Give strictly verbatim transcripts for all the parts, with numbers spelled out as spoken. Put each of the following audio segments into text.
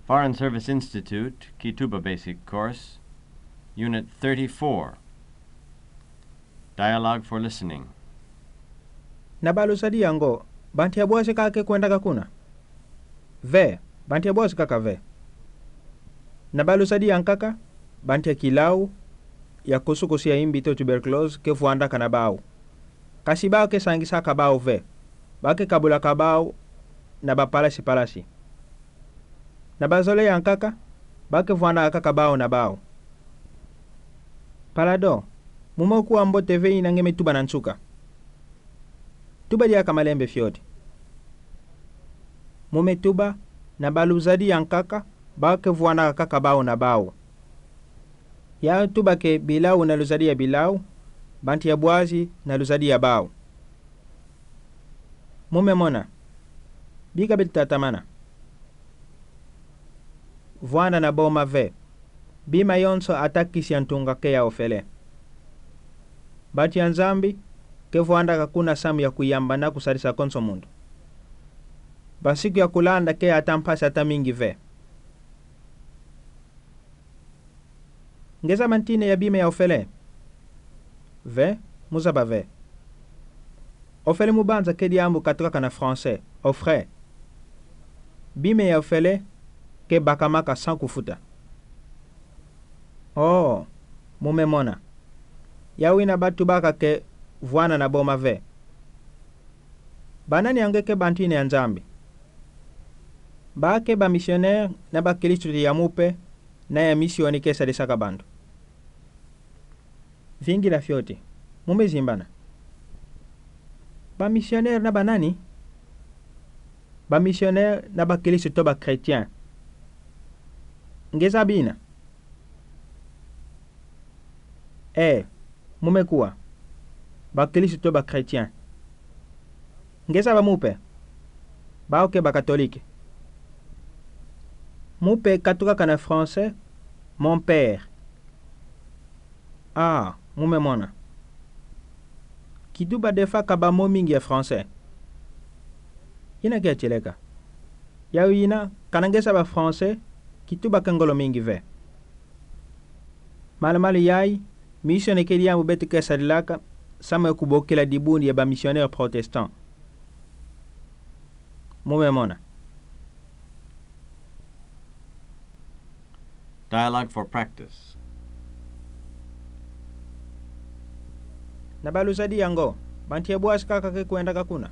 Foreign Service Institute, Kituba Basic Course, Unit thirty-four. Dialogue for listening. Na baluzadi ya ngo, bantu ya buasi kaka ke kwendaka kuna? Ve, bantu ya buasi kaka ve. Na baluzadi ya nkaka, bantu ya kilau ya kusukusu ya imbi to tuberculose ke vuandaka na bau. Kasi bau ke sangisaka bau ve, bau ke kabulaka bau na bapalasi palasi. Na bazole ya nkaka, bau ke vuandaka kaka bau na bau. Palado, mume kuwa mbote ve ina nge me tuba na nsuka. Tuba diaka malembe fioti. Mume tuba, na baluzadi ya nkaka, bau ke vuandaka kaka bau na bau. Ya tuba ke bilau na luzadi ya bilau, bantu ya buasi na luzadi ya bau. Mume mona. Bika beti tatamana. Vuanda na boma ve. Bima yonso atakisi ya ntunga ke ya ofele. Bantu ya Nzambi ke vuandaka kuna samu ya kuyamba na kusadisa konso mundu. Bansiku ya kulanda ke ata mpasi ata mingi ve. Ngeza mantine ya bima ya ofele? Ve, muzaba ve. Ofele mubanza ke diambu katukaka na français, offre. Bima ya ofele ke bakamaka sans kufuta. Oh, mume mona. Ya wina bau tubaka ke vuana na boma ve. Banani ange ke bantu ine ya Nzambi? Bau ke bamisionere na bakilisu ya mupe, na ya misioni ke sadisaka bantu. Vingila fioti. Mume zimbana. Bamisionere na banani? Bamisionere na bakilisu to ba chrétien. Ngeza bina? Eh, mume kuwa. Bakilisu to ba chrétien. Ngeza ba mupe? Bau ke ba catholique. Mupe katukaka na français, mon père. Ah, mume mona. Kituba defa ka bâ mo mingi ya français. Ina ke tileka. Ya wina, kana ngeza ba français, kituba ke ngolo mingi ve. Malumalu yayi, misioni ke diambu beti ke sadilaka, samu ya kubokila dibuni ya bamisionere protestant. Mume mona. Dialogue for practice. Na baluzadi ya ngo, bantu ya buasi kaka ke kwendaka kuna?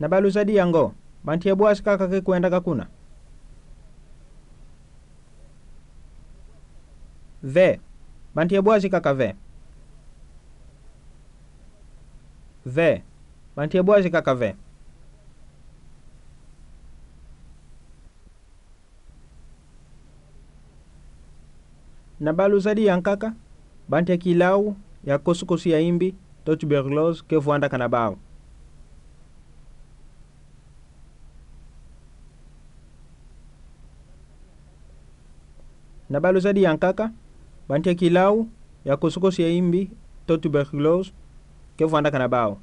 Na baluzadi ya ngo, bantu ya buasi kaka ke kwendaka kuna? Ve, bantu ya buasi kaka ve. Ve, bantu ya buasi kaka ve. Na baluzadi ya nkaka, bantu ya kilau ya kusukusu ya imbi to tuberculose ke vuandaka na bau. Na baluzadi ya nkaka, bantu ya kilau ya kusukusu ya imbi to tuberculose ke vuandaka na bau.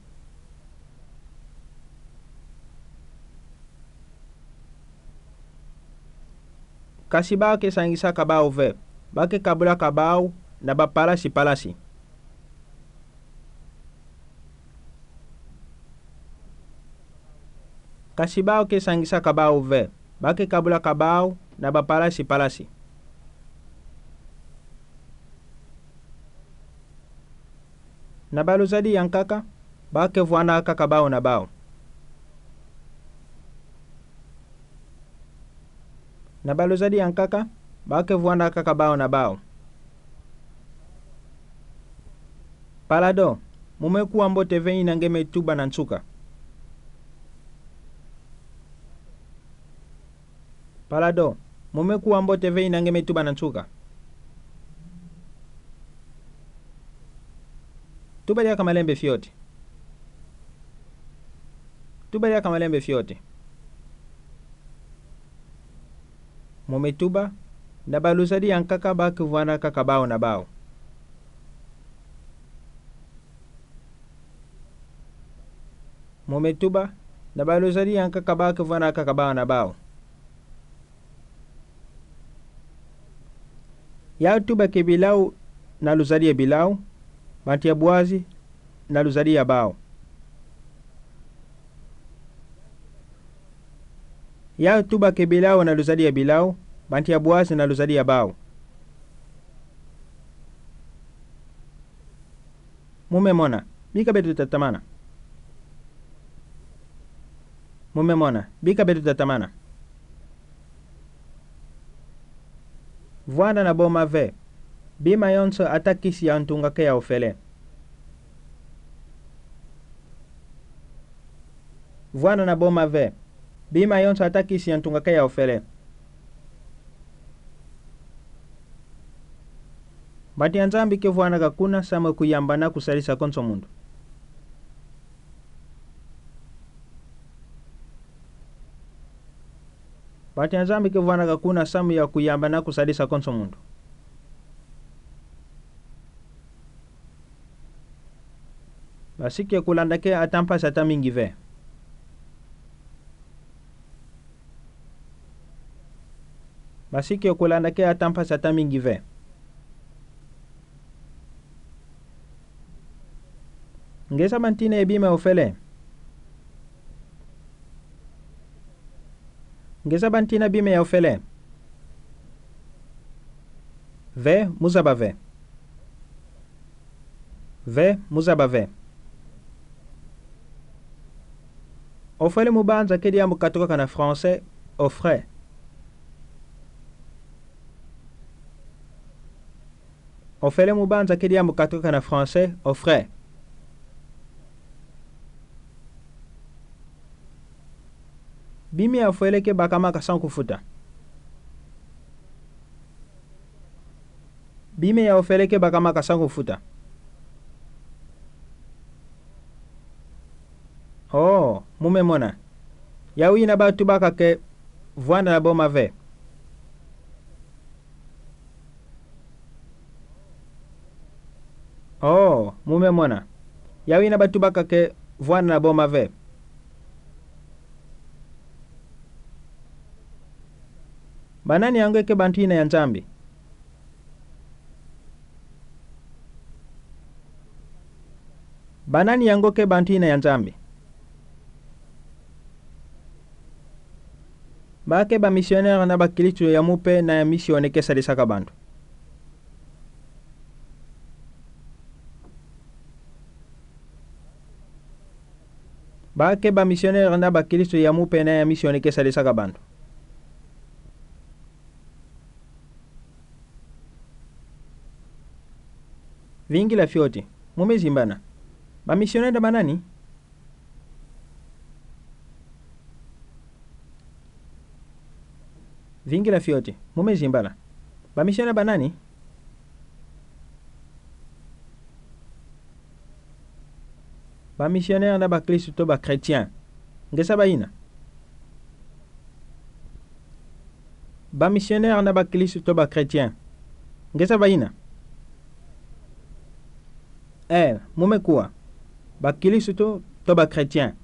Kasi bau ke sangisaka bau ve, bau ke kabulaka bau na bapalasi palasi. Kasi bau ke sangisaka bau ve, bau ke kabulaka bau na bapalasi palasi. Na baluzadi ya nkaka, bau ke vuandaka kaka bau na bau. Na baluzadi ya nkaka, bau ke vuandaka kaka bau na bau. Palado, mume kuwa mbote ve ina nge me tuba na nsuka. Palado, mume kuwa mbote ve ina nge me tuba na nsuka. Tuba diaka malembe fioti. Tuba diaka malembe fioti. Mume tuba, na baluzadi ya nkaka bau ke vuandaka kaka bau na bau. Mume tuba, na ba luzadi ya kakabao ke vwanda kakabao na bao. Ya tuba ke bilao na luzadi ya bilao, banti ya buazi na luzadi ya bao. Ya tuba ke bilao na luzadi ya bilao, banti ya buazi na luzadi ya bao. Mume mona, bika beto tatamana. Mume mona, bika beto tatamana. Vwanda na bo mave. Bima yonso atakisi ya ntungake ya ofele. Vwanda na bo mave. Bima yonso atakisi ya ntungake ya ofele. Banti ya Nzambi ke vwanda kakuna samu kuyamba na kusadisa konso mundo. Banti ya Nzambi ke vwanda kakuna samu ya kuyamba na kusadisa konso mundo. Basiki kulandake atampasi atamingi ve. Basiki kulandake atampasi atamingi ve. Ngeza bantina ya bima ya ofele. Ngeza bantina bima ya ofele. Ve, muzaba ve. Ve, muzaba ve. Ofele mubanza ke diambu katukaka na français, au frais. Ofele mubanza ke diambu katukaka na français, au frais. Bima ya ofele ke bakamaka san kufuta. Bima ya ofele ke bakamaka san kufuta. Oh, mume mona. Ya wina ba tubaka ke vwanda na bo mave. Oh, mume mona. Ya wina ba tubaka ke vwanda na bo mave. Banani yango ke bantina ya Nzambi? Banani yango ke bantina ya Nzambi? Ba ke ba missionnaire na bakristo ya mupe na ya misione ke sadisaka bantu. Ba ke ba missionnaire na bakristo ya mupe na ya misione ke sadisaka bantu. Vingila fioti, mume zimbana. Ba missionnaire banani? Vingila fioti, mume zimbana. Ba missionnaire banani? Ba missionnaire na bakristo to ba chrétien. Ngeza bayina? Ba missionnaire na bakristo to ba chrétien. Ngeza bayina? Eh, mume kuwa. Bakristo to ba chrétien.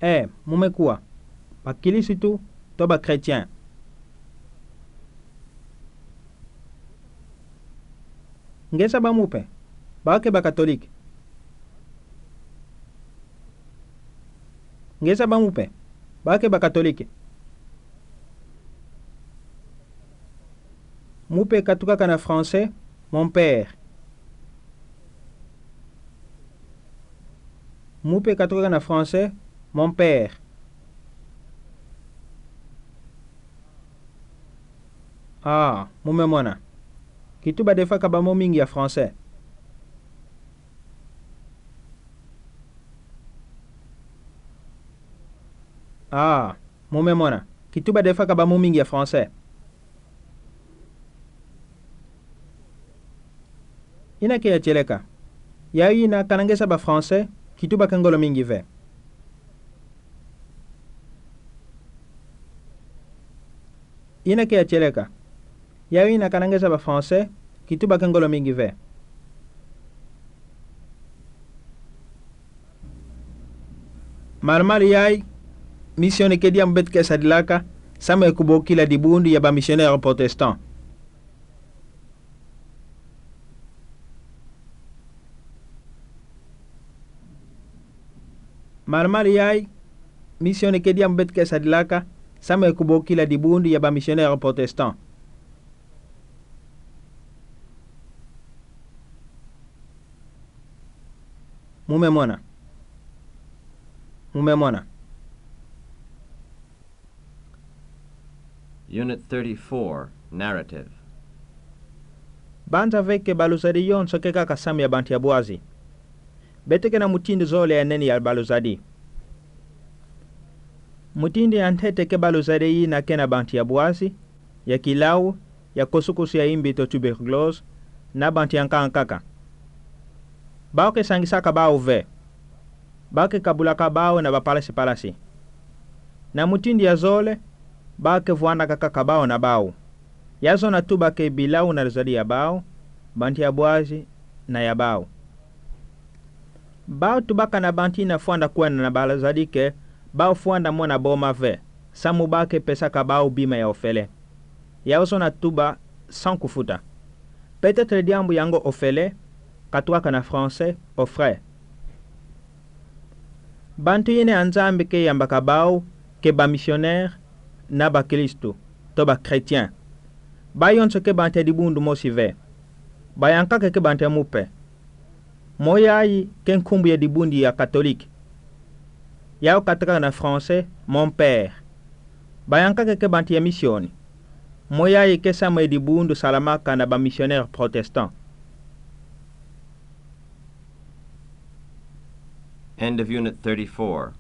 Eh, mume kuwa. Bakristo to ba chrétien. Ngeza ba mupe? Ba ke ba catholique. Ngeza ba mupe? Ba ke ba catholique. Mupe katukaka na français, mon père. Mupe katukaka na français, mon père. Ah, mume mona. Kituba de faka ba mo mingi ya français. Ah, mume mona. Kituba de faka ba mo mingi ya français. Ina ke ya tieleka. Ya ina kana ngeza ba français, kituba ke ngolo mingi ve. Ina ke ya tieleka. Ya ina kana ngeza ba français, kituba ke ngolo mingi ve. Maramara yayi, misione ke diambu beto ke sadilaka, samu ye kubokila dibundu ya bamisionere protestant. Maramara yayi, misione ke diambu beto ke sadilaka, samu ye kubokila dibundu ya bamisionere protestant. Mumemona. Mumemona. Unit thirty-four, narrative. Banza ve ke baluzadi yonso ke kaka samu ya bantu ya bwazi. Beto ke na mutindu zole ya nene ya baluzadi. Mutindu ya ntete ke baluzadi yina ke na bantu ya bwazi, ya kilau, ya kosukosu ya imbi to tuberculose, na bantu ya nga kaka. Bau ke sangisaka bau ve. Bau ke kabulaka bau na bapalasi-palasi. Na mutindu ya zole, bau ke vuanaka kaka bau na bau. Ya zona tuba ke bilau na luzadi ya bau, bantu ya bwazi, na ya bau. Bau tubaka na bantu na fuanda kwenda na baluzadi ke, bau fuanda mona boma ve, samu bau ke pesaka bau bima ya ofele. Ya zona tuba sans kufuta. Peut-être diambu ya ngo ofele, katuaka na français, offret. Bantu yine ya Nzambi ke yambaka bau, ke bamisionere, na bakristu, to bachrétien. Bau yonso ke bantu ya dibundu mosi ve. Bau ya nkaka ke bantu ya mupe. Moyayi ke nkumbu ya dibundu ya Catholique. Yau katakaka na français, mon père. Bau ya nkaka ke bantu ya misioni. Moyayi ke samu ye dibundu salamaka na bamisionere protestant. End of Unit thirty-four.